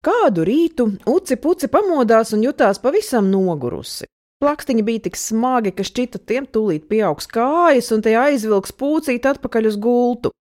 Kādu rītu Uci Puci pamodās un jutās pavisam nogurusi. Plakstiņi bija tik smagi, ka šķita tiem tūlīt pieaugs kājas un tie aizvilks pūcīt atpakaļ uz gultu.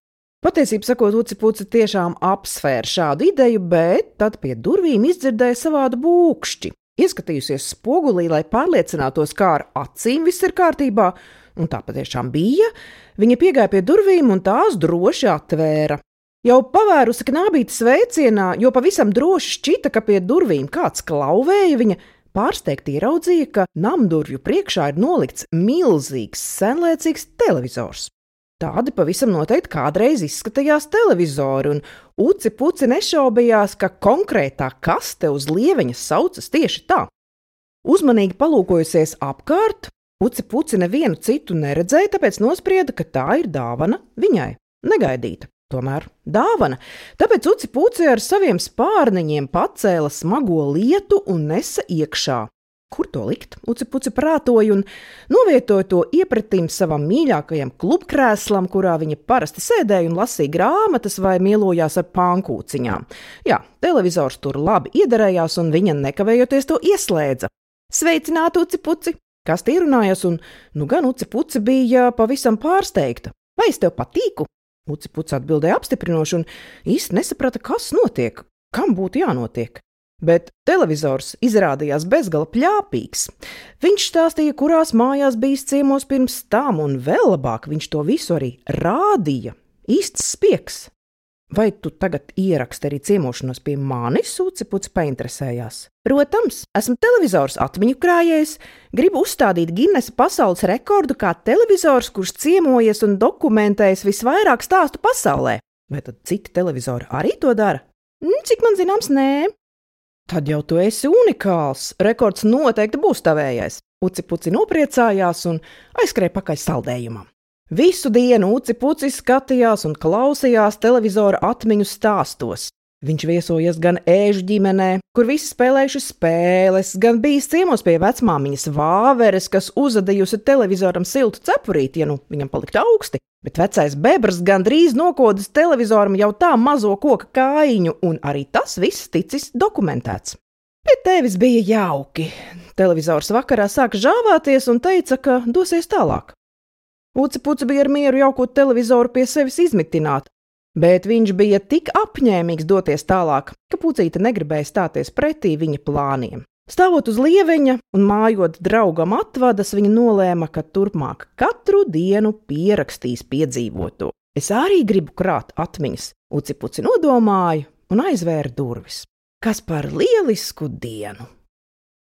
Patiesību sakot, Uci Puci tiešām apsvēra šādu ideju, bet tad pie durvīm izdzirdēja savādu būkšķi. Ieskatījusies spogulī, lai pārliecinātos, kā ar acīm viss ir kārtībā, un tā patiešām bija, viņa piegāja pie durvīm un tās droši atvēra. Jau pavērusi knābīti sveicienā, jo pavisam droši šķita, ka pie durvīm kāds klauvēja, viņa pārsteigti ieraudzīja, ka namdurvju priekšā ir nolikts milzīgs, senlēcīgs televizors. Tādi pavisam noteikti kādreiz izskatījās televizori, un Uci Puci nešaubījās, ka konkrētā kaste uz lieveņa saucas tieši tā. Uzmanīgi palūkojusies apkārt, Uci Puci nevienu citu neredzēja, tāpēc nosprieda, ka tā ir dāvana viņai, negaidīta. Tomēr dāvana, tāpēc Uci Puci ar saviem spārniņiem pacēla smago lietu un nesa iekšā. Kur to likt? Uci Puci prātoja un novietoja to iepratīm savam mīļākajam klubkrēslam, kurā viņa parasti sēdēja un lasīja grāmatas vai mielojās ar pankūciņām. Jā, televizors tur labi iederējās un viņa nekavējoties to ieslēdza. Sveicināti, Uci Puci! Kas tie runājas un gan Uci Puci bija pavisam pārsteigta. Vai es tev patīku? Uci Puci atbildēja apstiprinoši un īsti nesaprata, kas notiek, kam būtu jānotiek. Bet televizors izrādījās bezgala pļāpīgs. Viņš stāstīja, kurās mājās bijis ciemos pirms tam, un vēl labāk viņš to visu arī rādīja. Īsts spiegs. Vai tu tagad ieraksti arī ciemošanos pie manis? Uci Puci painteresējās. Protams, esmu televizors atmiņu krājējs, gribu uzstādīt Ginesa pasaules rekordu kā televizors, kurš ciemojies un dokumentējas visvairāk stāstu pasaulē. Vai tad citi televizori arī to dara? Cik man zināms, nē. Tad jau tu esi unikāls, rekords noteikti būs tavējais. Uci Puci nopriecājās un aizskrēja pakaļ saldējumam. Visu dienu Uci Puci skatījās un klausījās televizora atmiņu stāstos. Viņš viesojies gan ēžu ģimenē, kur visi spēlējuši spēles, gan bijis ciemos pie vecmāmiņas Vāveres, kas uzadījusi televizoram siltu cepurīti, ja viņam paliktu augsti, bet vecais bebrs gandrīz nokodis televizoram jau tā mazo koka kājiņu, un arī tas viss ticis dokumentēts. Pie tevis bija jauki. Televizors vakarā sāka žāvāties un teica, ka dosies tālāk. Uci Puci bija ar mieru jaukot televizoru pie sevis izmitināt, bet viņš bija tik apņēmīgs doties tālāk, ka Pucīte negribēja stāties pretī viņa plāniem. Stāvot uz lieveņa un mājot draugam atvadas, viņa nolēma, ka turpmāk katru dienu pierakstīs piedzīvoto. Es arī gribu krāt atmiņas, Uci Puci nodomāja un aizvēra durvis. Kas par lielisku dienu!